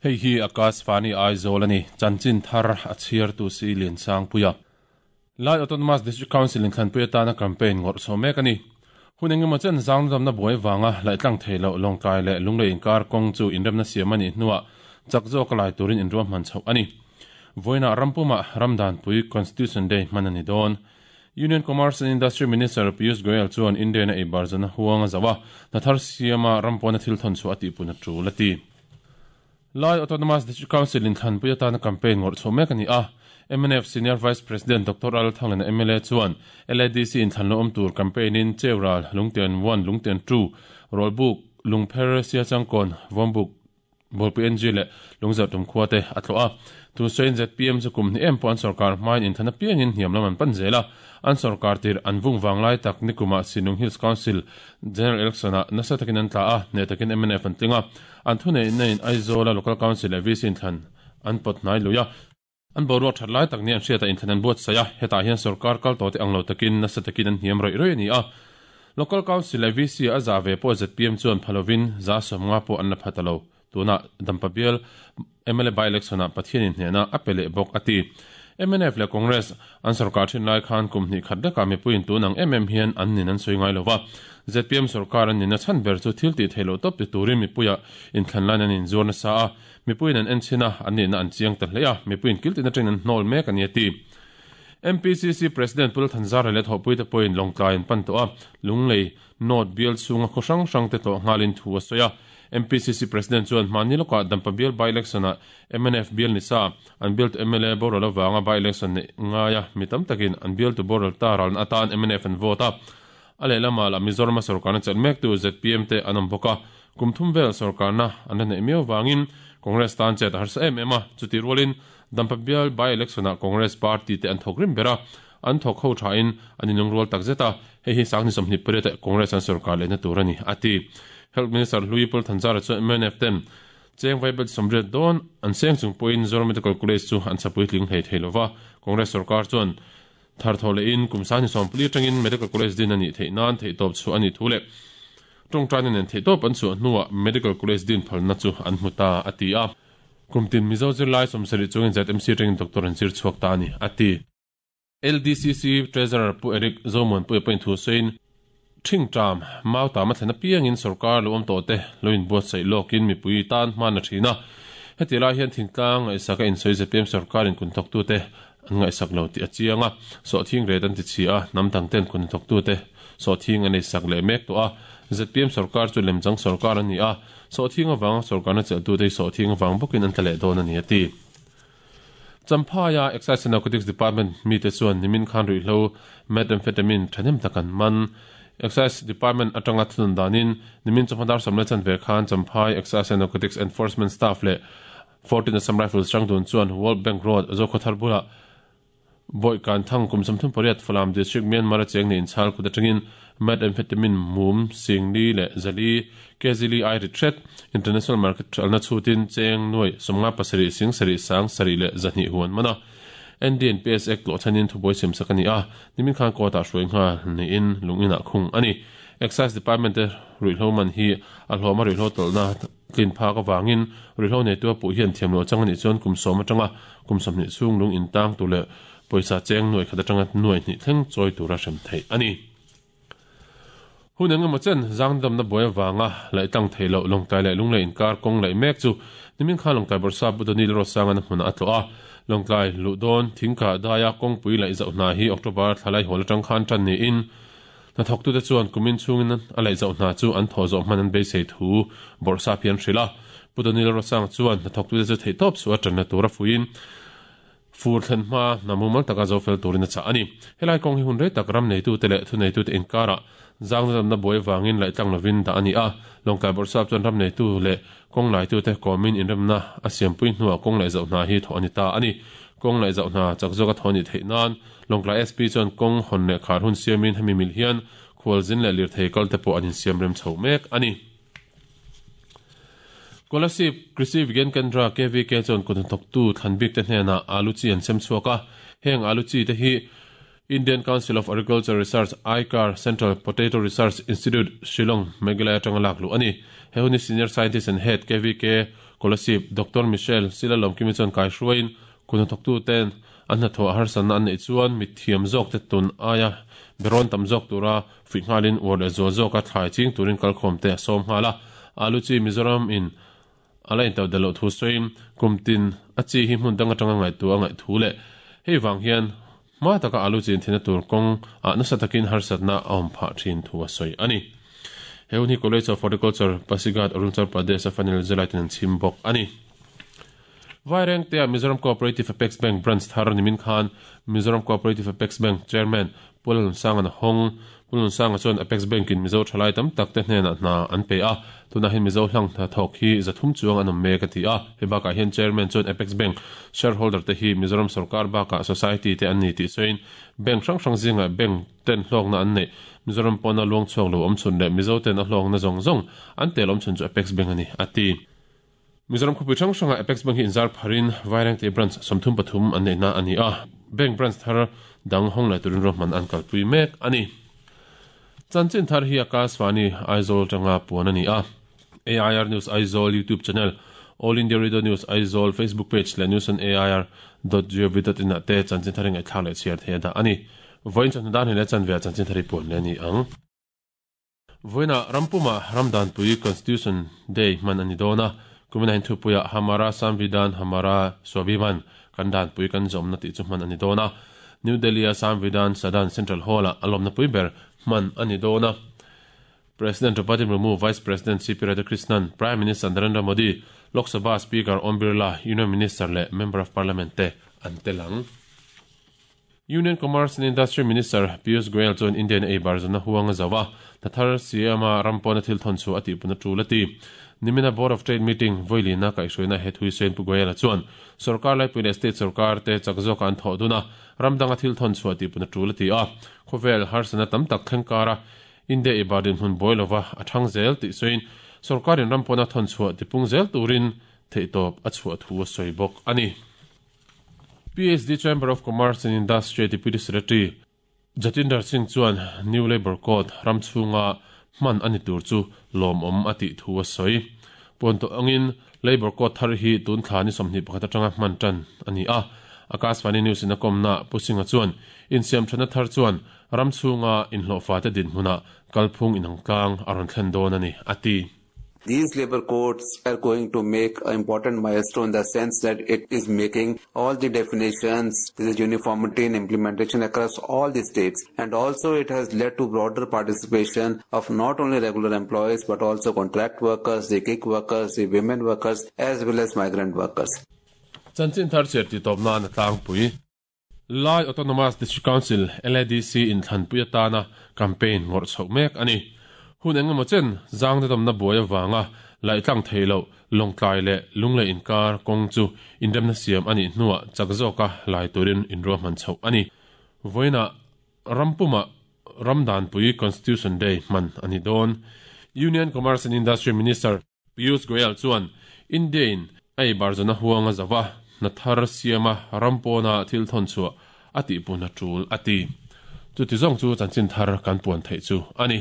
Hei hi Akashvani Aizawl a ni, chanchin thar a chhiartu si Liansangpuia. Lai Autonomous District Council in thlanpui atana campaign ngawrh chho mek a ni. Hun engemaw chen zangdamna buai vanga laih-tlang thei loh Lawngtlai leh Lunglei inkar kawng chu inremna siam a nih hnuah chak zawk a lai turin inruahman chhoh a ni. Vawiinah rampumah Ramdanpui Constitution Day hman a ni dawn. Union Commerce and Industry Minister Piyush Goyal chuan India-in a eibar zana huang a zauh a, hna thar siama ram pawna thil thawn chhuah a tihpun a tul a ti. Lai Autonomous District Council in thlanpui atana campaign ngawrh chhoh mek a ni a. Mnf Senior Vice President Doctor Al Thanglena mla chuan LADC in thlan lo awm tur campaign in Cheural, Lungtian 1, Lungtian 2, Rawlbuk, Lungpher, Siachangkawn, Vawmbuk, Bawlpui NG leh Lungzarh tum khua te a tlawh a. Tun sawiin zpm chu kum hnih em pawh an sorkar hmain inthlan apiangin hniam lam an pan zel a. An sorkar tirh an vung vang lai tak nikumah Sinung Hills Council General Election ah nasa takin an tla a, hneh takin mnf an tling a. An thuneihna in Aizawl-a Local Council leh VC inthlan an pawt hnai lui a. An boruak that lai tak nia an hriatah inthlan an buatsaih a, hetah hian sorkar kal tawh te ang lo takin nasa takin an hniam rawih rawih a ni a. Local Council leh VC a zah ve pawh zpm chuan pha lovin 150 pawh an la pha ta lo. Tunah Dampa bial mla by-election ah Pathianin hnehna a pe leh bawk a ti. Mnf leh Congress an sorkar thin lai khan kum hnih khat lekah mipuiin tun ang em em hian an nin an sawi ngai lo va. Zpm sorkar an nihna chhan ber chu thil tih theih loh tawp ti turin mipuia inthlan lain an inzuar nasa a, mipuiin an en chhin a, an nihna an chiang ta hle a, mipuiin kil tin atangin an hnawl mek a ni a ti. MPCC President Pu Lalthanzara leh thawhpuite pawhin Lawngtlai an pan tawh a, Lunglei North bial chhunga khaw hrang hrangte tlawh nghalin thu a sawi a. MPCC President chuan hmahni lawkah Dampa bial by-election ah mnf bial ni sa, an bialtu mla boral avanga by-election neih ngaia mi tam takin an bialtu boral ta ralna atan mnf an vote a. A lehlamah lah Mizorama sorkarna chelh mektu zpm te an awm bawk a, kum thum vel sorkarna an la neih miau vangin Congress tan chet a harsa em em a, chutih rualin Dampa bial by-election ah Congress party te an thawk rim ber a, an thawk ho thain an inlungrual takzet a, hei hi Sangni 28 ah Congress an sorkar lehna tur a ni, a ti. Health Minister Hlui Pulthanzara chuan mnf ten Cheng Vaibel 80 dawn an seng chung pawhin Zoram Medical College chu an chapui tling hlei thei lova, Congress sorkar chuan thar thaw lehin kum Sangni 40 atangin Medical College din a nih theih nan theihtawp chhuah a nih thu leh tawngtaina nen theihtawp an chhuah hnuah Medical College din phalna chu an hmu ta, a ti a. Kum tin Mizo zirlai 70 chungin ZMC atangin doctor an zir chhuak ta a ni, a ti. LDCC Treasurer Pu Eric Zomuanpuia pawhin thu sawiin, Thingṭam, Mautam a thlen apiangin sorkar lo awm tawh te lo inbuatsaih lawkin mipui tan hman a ṭhin a. Heti lai hian thingtlang ngaihsak a insawi zpm sorkarin kunthawktute an ngaihsak lo tih a chiang a. Sawhthing ret an ti chhi a, hnam dangten kunthawktute sawhthing an eisak leh mek tawh a. Zpm sorkar chu lemchang sorkar a ni a, sawhthing avanga sorkarna chelhtute hi sawhthing avang bawkin an tla leh dawn a ni a ti. Champhaia Excise and Narcotics Department mite chuan nimin khan ruihhlo Methamphetamine thahnem tak an man. Excise Department atanga thunun danin nimin chawhma dar sawmlai chanve khan Champhai Excise and Narcotics Enforcement Staff leh 14 Assam Rifles hrangdun chuan World Bank Road, Zokhawthar bulah Bawi kan thang kum 38 Falam District Myanmar a cheng nei inchhal kut atangin Methamphetamine mum singli leh zali kg li ai rit hret International Market thalna chhutin cheng nuai 57 sing sarih sang sarih leh zahnih hu an man a. NDNPS Act tlawh chhanin thubuai siam sak a ni a, nimin khan court ah hruai nghal niin lungin ah khung a ni. Excise Department te ruihhlo man hi a hlawm a ruihhlo tawlhna tlin phak avangin ruihhlo neitu a puh hian thiamloh chang a nih chuan kum sawm atanga kum 20 chhung lung intang tur leh pawisa cheng nuai khat atanga nuai hnih thleng chawi tura hrem theih a ni. Hun eng emaw chen zangdamna buai avanga laih tlang theih loh Lawngtlai leh Lunglei inkar kawng laih mek chu nimin khan Lawngtlai Bawrhsap Pu Donil Ruatsanga hmunah a tlawh a. Lawngtlai luh dawn thingkah daia kawngpui laih zauh hna hi October thla laihawl atang khan tan niin hnathawktute chuan kumin chhungin a laih zauh hna chu an thawh zawh hman an beisei thu Bawrhsap hi an hrilh a. Pu Donil Ruatsanga chuan hnathawktute chu theihtawp suh a tanna tura fuiin Fur thlen hma hna mumal taka zo fel turin a chah a ni. Helai kawng hi hun rei tak ram neitute leh thuneitute inkarah zangna damna buai avangin laih tlang lovin dah a ni a. Lawngtlai Bawrhsap chuan ram neitu leh kawng laitute kawmin inremna a siampui hnuah kawng laih zauh hna hi thawh a ni ta a ni. Kawng laih zauh hna chak zawka thawh a nih theih nan Lawngtlai SP chuan kawng hawn leh khar hun siamin hemi mil hian khualzin leh lirthei kalte pawh an insiam rem chho mek a ni. Kolasib Krishi Vigyan Kendra, KVK, chuan kut hnathawktu thlan bikte hnenah alu chi an sem chhuak a, heng alu chi te hi Indian Council of Agriculture Research, ICAR, Central Potato Research Institute, Shillong, Meghalaya atanga lak luh a ni. He hun hi Senior Scientist and Head, KVK, Kolasib, Doctor Michelle Silalawmkimi chuan kaihruaiin kut hnathawktu ten an hnathawh harsatna an neih chuan mithiam zawk te tun aia berawn tam zawk tura fuih nghalin uar leh zual zawka thlai ching turin kalkhawm te a sawm nghal a. Alu chi Mizoram in a la intoh del loh thu sawiin kum tin a chi hi hmun dang atanga ngaihtuah a ngaih thu leh hei vang hian hma taka alu chin thina tur kawng ah nasa takin harsatna a awm phah thin thu a sawi a ni. He hun hi College of Horticulture, Pasighat, Arunachal Pradesh a final zirlaitin an chhim bawk a ni. Vairengtea Mizoram Cooperative Apex Bank Branch thar nimin khan Mizoram Cooperative Apex Bank Chairman Pu Lalnunsanga'n a hawng. Pu Lalnunsanga chuan Apex Bank-in Mizo thalai tam tak te hnenah hna an pe a, tunah hian Mizo hlang hnathawk hi 300 chuang an awm mek a ti a. Hei bakah hian Chairman chuan Apex Bank shareholder te hi Mizoram sorkar bakah society te an ni tih sawiin bank hrang hrang zingah bank ten hlawkna an neih Mizoram pawna luangchhuak lo awmchhun leh Mizo ten a hlawkna zawng zawng an tel awmchhun chu Apex Bank a ni a ti. Mizoram khawpui hrang hrangah Apex Bank hi inzar pharin Vairengte Branch 33 an neihna a ni a, Bank Branch thar dang hawng leh turin ruahman an kalpui mek a ni. Chanchin thar hi Akashvani Aizawl atanga puan a ni a, AIR News Aizawl YouTube Channel, All India Radio News Aizawl Facebook Page leh News on AIR dot gov dot in ah te chanchin thar hi ngaihthlak leh chhiar theih a dah a ni. Vawiin chawhnu dan hi leh chanve ah chanchin thar hi puan leh a ni ang. Vawiinah rampumah Ramdanpui Constitution Day hman a ni dawn a, kumin ahin thupuiah Hamara Samvidhan Hamara Swabhiman, Kan Danpui Kan Zawmna tih chu hman a ni dawn a. New Delhi-a Samvidhan Sadan Central Hall-ah a lawmna pui ber hman a ni dawn a. President Draupadi Murmu, Vice President CP Radhakrishnan, Prime Minister Narendra Modi, Lok Sabha Speaker Om Birla, Union Minister leh Member of Parliament te an tel ang. Union Commerce and Industry Minister Piyush Goyal chuan India-in ei bar zana huang a zauh a, hna thar siama ram pawna thil thawn chhuah a tihpun a tul a ti. Nimina Board of Trade meeting vawilina kaihhruaina he thui sawiin Pu Goyal-a chuan sorkar laipui leh state sorkar te chak zawka an thawh dun a, ram danga thil thawn chhuah tihpun a tul a ti a. Khawvel harsatna tam tak thleng kara India ei bar dinhmun buai lova a thang zel tih sawiin sorkarin ram pawna thawn chhuah tipung zel turin theihtawp a chhuah thu a sawi bawk a ni. PHD Chamber of Commerce and Industry Deputy Secretary Jatinder Singh chuan New Labour Code ram chhunga hman a ni tur chu lawmawm a tih thu a sawi. Puan tawh angin Labour Code thar hi tun thla ni 21 atanga hman tan a ni a. Akashvani News in a kawmna Pu Singh-a chuan insiamthatna thar chuan ram chhunga inhlawhfate dinhmunah kalphung inangtlang a rawn thlen dawn a ni, a ti. These labor codes are going to make an important milestone in the sense that it is making all the definitions, there is uniformity in implementation across all the states. And also it has led to broader participation of not only regular employees but also contract workers, the gig workers, the women workers as well as migrant workers. Chanchin thar chhiar tih tawp nan a tlangpui. Lai Autonomous District Council, LADC, inthlanpui atana campaign ngawrh chhoh mek a ni. Hun eng emaw chen zang dadawmna buai avanga laih tlang theih loh Lawngtlai leh Lunglei inkar kawng chu inremna siam a nih hnuah chak zawka lai turin inruahman chhoh a ni. Vawiinah rampumah Ramdanpui Constitution Day hman a ni dawn. Union Commerce and Industry Minister Piyush Goyal chuan India-in a ei bar zawna huang a zauh a, hna thar siama ram pawna thil thawn chhuah a tihpun a tul a ti. Chuti zawng chu chanchin thar kan puan theih chu a ni.